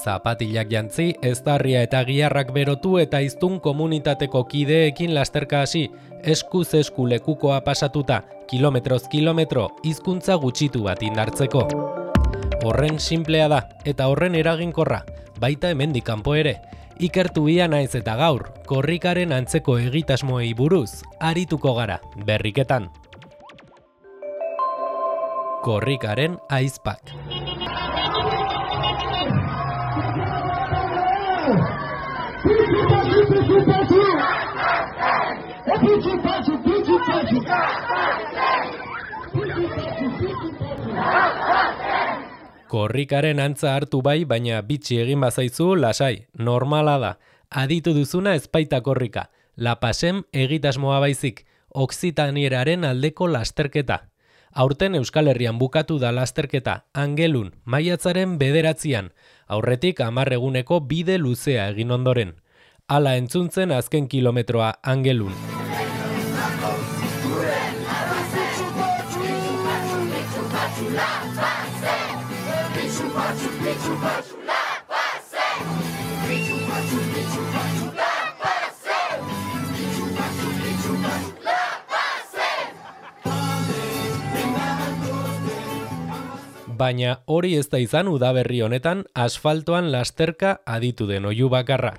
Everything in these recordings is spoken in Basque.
Zapatilak jantzi, eztarria eta giharrak berotu eta hiztun komunitateko kideekin lasterka hasi, eskuz esku lekukoa pasatuta, kilometroz kilometro, hizkuntza gutxitu bat indartzeko. Horren sinplea da, eta horren eraginkorra, baita hemendik kanpo ere. Ikertu ia naiz eta gaur, korrikaren antzeko egitasmoei buruz, arituko gara, berriketan. Korrikaren aizpak. Korrikaren antza hartu bai, baina bitxi egin bazaizu lasai, normala da. Aditu duzuna ezpaita korrika, lapasem egitasmoa baizik, oksitanieraren aldeko lasterketa. Aurten Euskal Herrian bukatu da lasterketa, Angelun, maiatzaren 9, aurretik 10 eguneko bide luzea egin ondoren. Hala entzuntzen azken kilometroa Angelun. Baina hori ez da izan udaberri honetan asfaltoan lasterka aditu den oihu bakarra.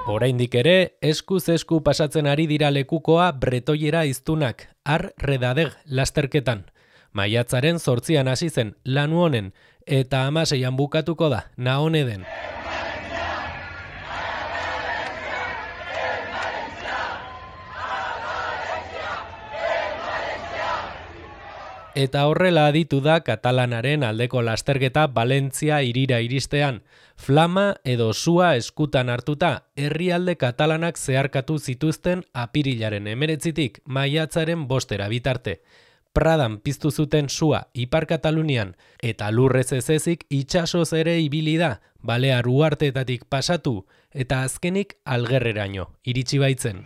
Oraindik ere, eskuz esku pasatzen ari dira lekukoa bretoiera hiztunak, ar redadeg lasterketan. Maiatzaren 8 hasi zen Lanu honen, eta 16 bukatuko da Naoneden. Eta horrela aditu da katalanaren aldeko lasterketa Valentzia hirira iristean. Flama edo sua eskutan hartuta, herrialde katalanak zeharkatu zituzten apirilaren 19tik maiatzaren 5 bitarte. Pradan piztu zuten sua Ipar Katalunian eta lurrez ezezik itsasoz ere ibili da, Balear uharteetatik pasatu eta azkenik Algerreraino iritsi baitzen.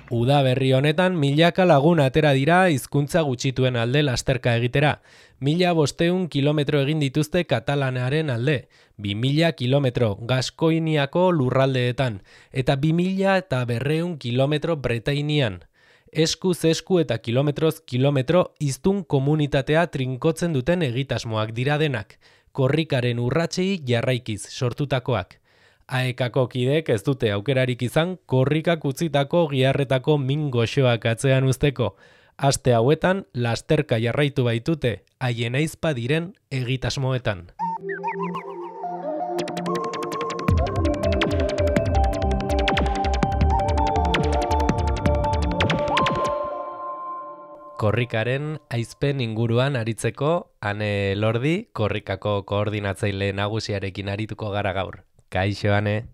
Udaberri honetan milaka lagun atera dira hizkuntza gutxituen alde lasterka egitera. 1500 kilometro egin dituzte katalanaren alde, 2000 kilometro Gaskoiniako lurraldeetan, eta 2200 kilometro Bretainian. Eskuz esku eta kilometroz kilometro hiztun komunitatea trinkotzen duten egitasmoak dira denak, korrikaren urratsei jarraikiz sortutakoak. Aekako kideek ez dute aukerarik izan korrikak utzitako giharretako min goxoak atzean uzteko. Aste hauetan lasterka jarraitu baitute haien aizpa diren egitasmoetan. Korrikaren aizpen inguruan aritzeko Ane Lordi, korrikako koordinatzaile nagusiarekin arituko gara gaur. Kaixo, Ane.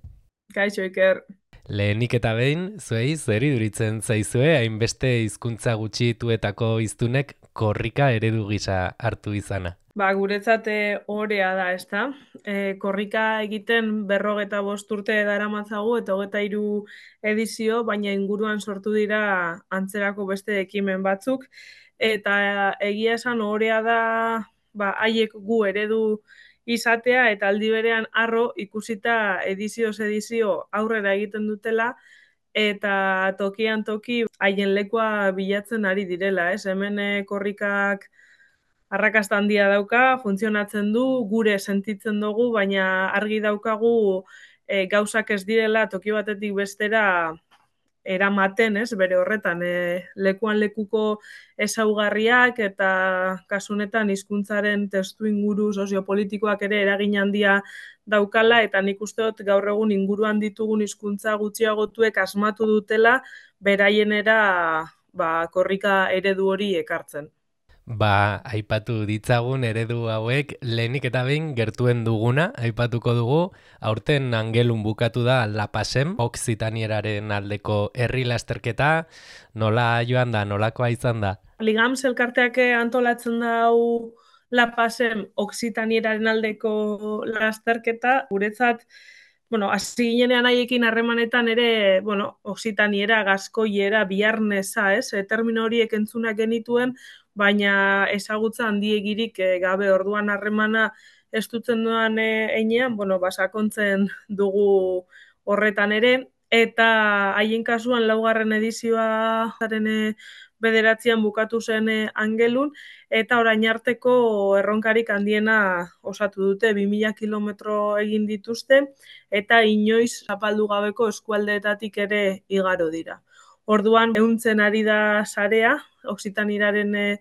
Kaixo, Iker. Lehenik eta behin, zuei zer iduritzen zaizue, hainbeste hizkuntza gutxituetako hiztunek korrika eredu gisa hartu izana. Guretzat orea da, ezta? Korrika egiten 45 urte daramatzagu eta 23 edizio, baina inguruan sortu dira antzerako beste ekimen batzuk. Eta egia esan orea da, haiek gu eredu izatea eta aldi berean harro ikusita edizioz edizio aurrera egiten dutela eta tokian toki haien lekua bilatzen ari direla, ez? Hemen korrikak arrakasta handia dauka, funtzionatzen du, gure sentitzen dugu, baina argi daukagu gauzak ez direla toki batetik bestera eramaten, ez? Bere horretan, lekuan lekuko ezaugarriak eta kasu honetan hizkuntzaren testuinguru soziopolitikoak ere eragin handia daukala eta nik uste dut gaur egun inguruan ditugun hizkuntza gutxiagotuek asmatu dutela beraienera korrika eredu hori ekartzen. Aipatu ditzagun eredu hauek lehenik eta behin gertuen duguna, aipatuko dugu, aurten Angelun bukatu da La Pasem, Oksitanieraren aldeko herri lasterketa, nola joan da, nolakoa izan da? Ligams elkarteak antolatzen dau La Pasem Oksitanieraren aldeko lasterketa, guretzat, hasi ginean haiekin harremanetan ere, Oksitaniera, Gaskoiera, Biarnesa, termino horiek entzunak genituen, baina ezagutza handiegirik gabe orduan harremana estutzen duan einean, basakontzen dugu horretan ere, eta haien kasuan laugarren edizioa zaren bederatzean bukatu zen Angelun, eta orain arteko erronkarik handiena osatu dute, 2000 kilometro egin dituzte, eta inoiz zapaldu gabeko eskualdeetatik ere igaro dira. Orduan, ehuntzen ari da sarea, Oksitanieraren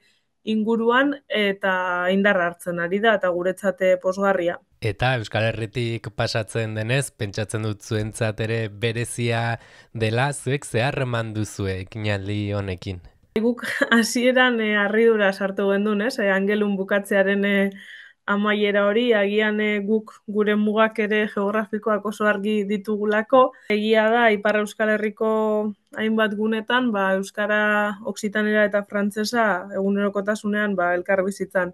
inguruan, eta indarra hartzen ari da, eta guretzate posgarria. Eta Euskal Herritik pasatzen denez, pentsatzen dut zuentzat ere berezia dela, zuek zeharreman duzue ekinaldi honekin. Guk hasieran harridura sartu gendun, Angelun bukatzearen amaiera hori, agian guk gure mugak ere geografikoak oso argi ditugulako. Egia da, Ipar Euskal Herriko hainbat gunetan, Euskara, Oksitanera eta Frantsesa egunerokotasunean elkar bizitzan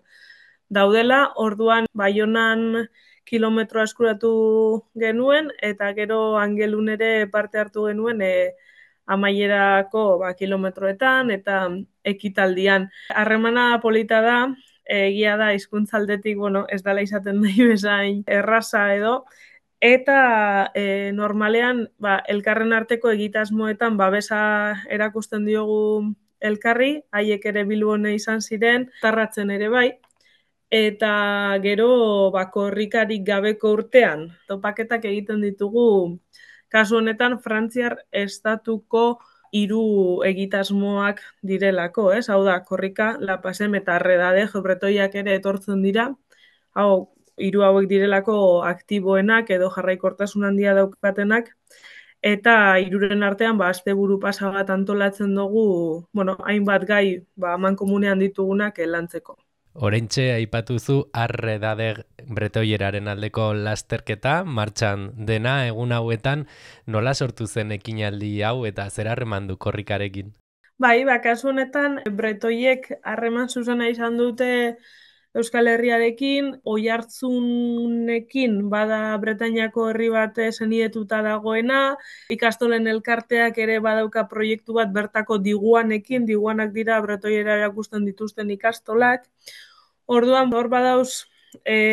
daudela. Orduan, Baionan kilometroa eskuratu genuen, eta gero Angelun ere parte hartu genuen amaierako kilometroetan eta ekitaldian. Harremana polita da, egia da hizkuntzaldetik, ez dela izaten nahi bezain erraza edo, eta normalean elkarren arteko egitasmoetan babesa erakusten diogu elkarri, haiek ere Bilbone izan ziren, tarratzen ere bai, eta gero korrikarik gabeko urtean topaketak egiten ditugu. Kasu honetan, Frantziar estatuko 3 egitasmoak direlako, Hau da, korrika, La Pasem eta Arredade Bretoiak ere etortzen dira. 3 hauek direlako aktiboenak edo jarraikortasun handia daukatenak, eta 3 artean asteburu pasa bat antolatzen dugu, hainbat gai amankomunean ditugunak lantzeko. Oraintxe aipatuzu Arredade Bretoieraren aldeko lasterketa martxan dena egun hauetan, nola sortu zen ekinaldi hau eta zer harreman du korrikarekin? Kasu honetan Bretoiek harreman zuzena izan dute Euskal Herriarekin, Oiartzunekin bada Bretainiako herri bat senidetuta dagoena, ikastolen elkarteak ere badauka proiektu bat bertako diguanekin, diguanak dira Bretoiera erakusten dituzten ikastolak. Orduan, hor badauz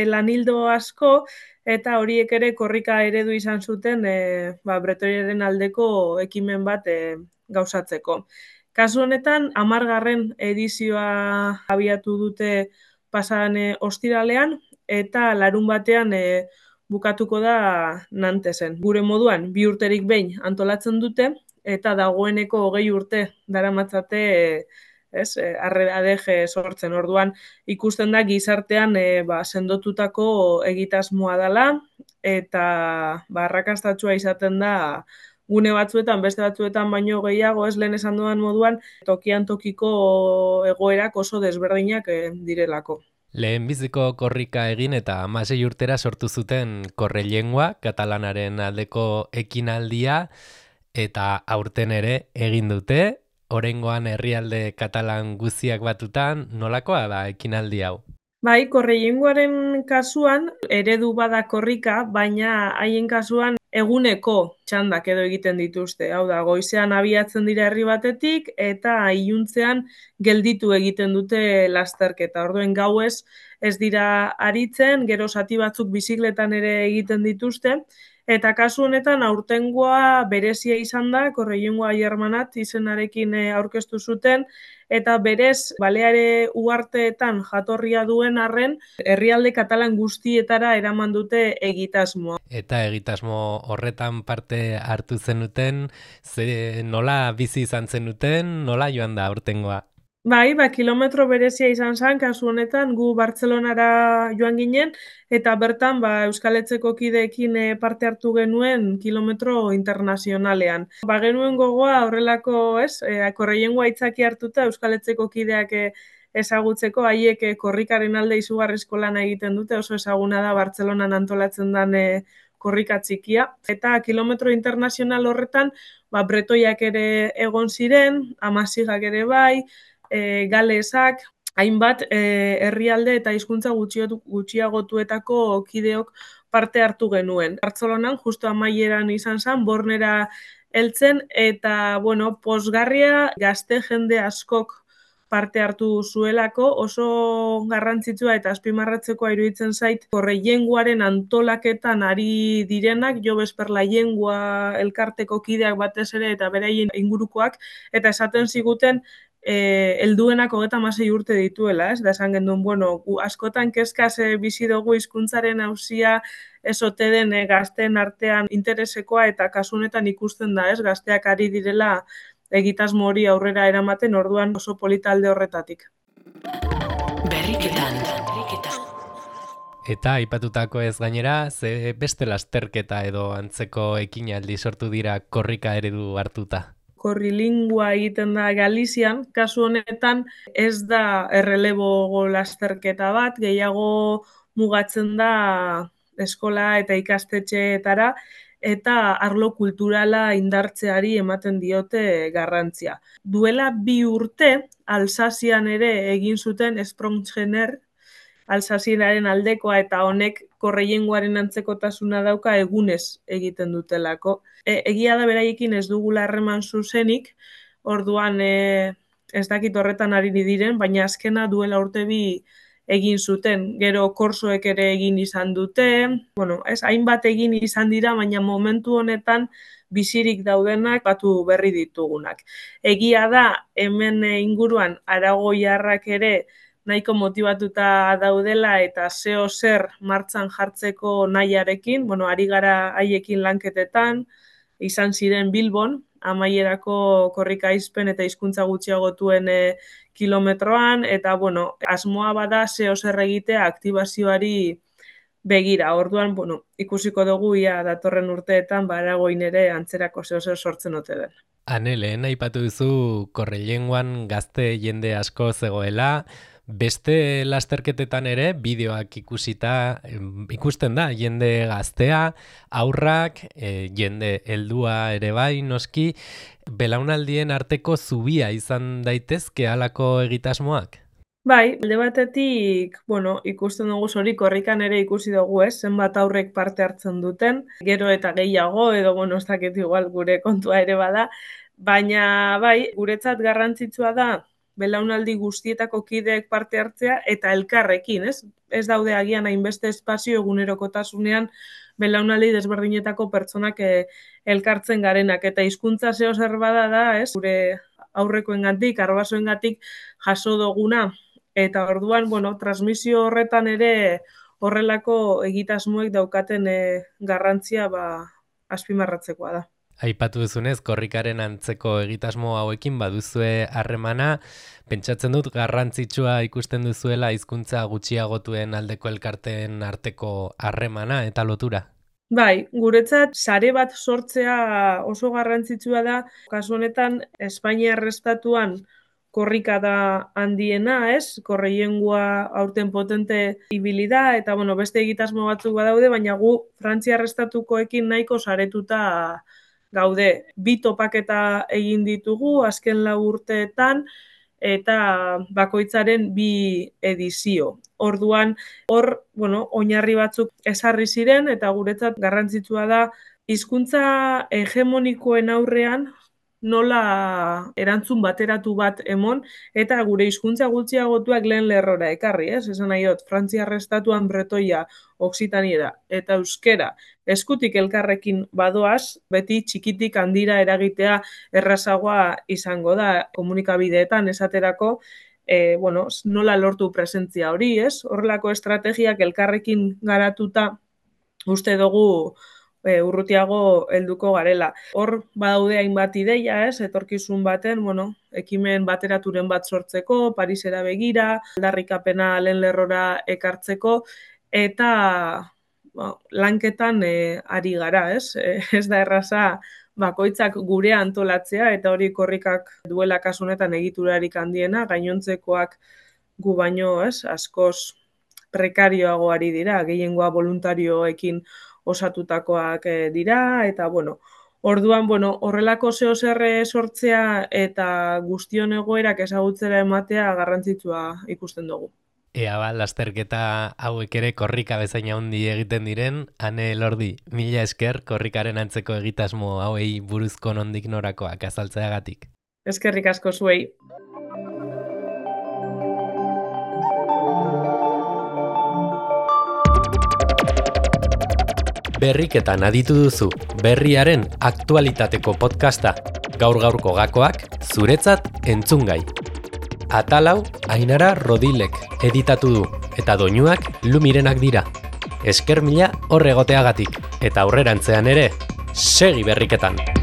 lanildo asko, eta horiek ere korrika eredu izan zuten Bretoiaren aldeko ekimen bat gauzatzeko. Kasu honetan, 10. edizioa abiatu dute pasadan ostiralean, eta larun batean bukatuko da Nantesen. Gure moduan, 2 urterik behin antolatzen dute, eta dagoeneko 20 urte daramatzate Arredade sortzen. Orduan, ikusten da gizartean sendotutako egitasmoa dela, eta arrakastatsua izaten da gune batzuetan, beste batzuetan baino gehiago, lehen esan dudan moduan, tokian tokiko egoerak oso desberdinak direlako. Lehenbiziko korrika egin eta 16 urtera sortu zuten Korrelengua, katalanaren aldeko ekinaldia, eta aurten ere egin dute, oraingoan herrialde katalan guztiak batutan, nolakoa da ekinaldi hau? Korrelenguaren kasuan eredu bada korrika, baina haien kasuan eguneko txandak edo egiten dituzte. Hau da, goizean abiatzen dira herri batetik eta iluntzean gelditu egiten dute lasterketa. Orduen gauez ez dira aritzen, gero zati batzuk bizikletan ere egiten dituzte, eta kasu honetan aurtengoa berezia izan da, Korrelengua Germanat izenarekin aurkeztu zuten, eta berez Baleare uharteetan jatorria duen arren, herrialde katalan guztietara eraman dute egitasmoa. Eta egitasmo horretan parte hartu zenuten, nola bizi izan zenuten, nola joan da aurtengoa? Kilometro berezia izan zen, kasu honetan, gu Bartzelonara joan ginen, eta bertan Euskal Etxeko kideekin parte hartu genuen kilometro internazionalean. Genuen gogoa horrelako, Korrelengua aitzaki hartuta Euskal Etxeko kideak ezagutzeko, haiek korrikaren alde izugarrizko lana egiten dute, oso ezaguna da Bartzelonan antolatzen den korrika txikia. Eta kilometro internazional horretan, bretoiak ere egon ziren, amazigak ere bai, galesak, hainbat herrialde eta hizkuntza gutxiagotuetako kideok parte hartu genuen. Bartzelonan, justu amaieran izan zen, Bornera heltzen, eta, pozgarria gazte jende askok parte hartu zuelako, oso garrantzitsua eta azpimarratzekoa iruditzen zait, korreienguaren antolaketan ari direnak, Jo Besperla Lengua elkarteko kideak batez ere eta beraien ingurukoak, eta esaten ziguten, helduenak 36 urte dituela, ez? Da esan genduen, gu askotan kezkaz bizi dugu hizkuntzaren auzia ez ote den gazteen artean interesekoa, eta kasu honetan ikusten da, ez? Gazteak ari direla egitasmo hori aurrera eramaten, orduan oso polita alde horretatik. Berriketan. Eta aipatutako ez gainera, ze beste lasterketa edo antzeko ekinaldi sortu dira korrika eredu hartuta? Korrilingua egiten da Galizian, kasu honetan ez da errelebo lasterketa bat, gehiago mugatzen da eskola eta ikastetxeetara, eta arlo kulturala indartzeari ematen diote garrantzia. Duela 2 urte, Alsazian ere egin zuten Sprongtjener, Alsazienaren aldekoa, eta honek korreiengoaren antzekotasuna dauka egunez egiten dutelako. Egia da beraiekin ez dugula harreman zuzenik, orduan ez dakit horretan ari diren, baina azkena duela urte 2 egin zuten. Gero korsoek ere egin izan dute, hainbat egin izan dira, baina momentu honetan bizirik daudenak batu berri ditugunak. Egia da, hemen inguruan aragoiarrak ere nahiko motibatuta daudela eta zeo zer martxan jartzeko nahiarekin, ari gara haiekin lanketetan, izan ziren Bilbon, amaierako korrika aizpen eta hizkuntza gutxiagotuen kilometroan, eta asmoa bada zeo zer egitea aktibazioari begira. Orduan, ikusiko dugu ia datorren urteetan Aragoin ere antzerako zeo zer sortzen ote den. Ane, lehen aipatu duzu Korreilengoan gazte jende asko zegoela, beste lasterketetan ere bideoak ikusten da jende gaztea, aurrak, jende heldua ere bai noski, belaunaldien arteko zubia izan daitezke halako egitasmoak? Bai, alde batetik, ikusten dugu hori korrikan ere ikusi dugu, zenbat aurrek parte hartzen duten, gero eta gehiago, edo ez dakit igual gure kontua ere bada, baina bai, guretzat garrantzitsua da belaunaldi guztietako kideek parte hartzea eta elkarrekin, ez? Ez daude agian hainbeste espazio egunerokotasunean belaunaldi desberdinetako pertsonak elkartzen garenak, eta hizkuntza zeo zer bada da, ez? Gure aurrekoengatik, arbasoengatik jaso duguna, eta orduan, transmisio horretan ere horrelako egitasmoek daukaten garrantzia azpimarratzekoa da. Aipatu duzunez, korrikaren antzeko egitasmo hauekin baduzue harremana, pentsatzen dut garrantzitsua ikusten duzuela hizkuntza gutxiagotuen aldeko elkarteen arteko harremana eta lotura? Bai, guretzat sare bat sortzea oso garrantzitsua da, kasu honetan Espainiar estatuan korrika da handiena, ez? Korreiengoa aurten potente ibili da, eta beste egitasmo batzuk badaude, baina gu Frantziar estatukoekin nahiko saretuta gaude. 2 topaketa egin ditugu azken 4 urteetan, eta bakoitzaren 2 edizio. Orduan, hor, oinarri batzuk ezarri ziren, eta guretzat garrantzitsua da hizkuntza hegemonikoen aurrean nola erantzun bateratu bat emon, eta gure hizkuntza gutxiagotuak lehen lerrora ekarri, ez? Esan nahi dut, Frantziar estatuan bretoia, oksitaniera eta euskera eskutik elkarrekin badoaz, beti txikitik handira eragitea errazagoa izango da komunikabideetan esaterako, nola lortu presentzia hori, ez? Horrelako estrategiak elkarrekin garatuta uste dugu urrutiago helduko garela. Hor badaude hainbat ideia, ez? Etorkizun baten, ekimen bateraturen bat sortzeko, Parisera begira, aldarrikapena lehen lerrora ekartzeko, eta lanketan ari gara, ez? Ez da erraza bakoitzak gure antolatzea, eta hori korrikak duela kasu honetan egiturarik handiena, gainontzekoak gu baino, askoz prekarioago ari dira, gehiengoa voluntarioekin osatutakoak dira, eta orduan, horrelako zer sortzea eta guztion egoerak ezagutzera ematea garrantzitsua ikusten dugu. Ea lasterketa hauek ere korrika bezain handi egiten diren, Ane Elordi, mila esker korrikaren antzeko egitasmo hauei buruzko nondik norakoak azaltzeagatik. Eskerrik asko zuei. Berriketan aditu duzu, berriaren aktualitateko podcasta, gaur-gaurko gakoak zuretzat entzungai. Atalau Ainara Rodilek editatu du, eta doinuak Lumirenak dira. Esker mila hor egoteagatik, eta aurrerantzean ere, segi berriketan!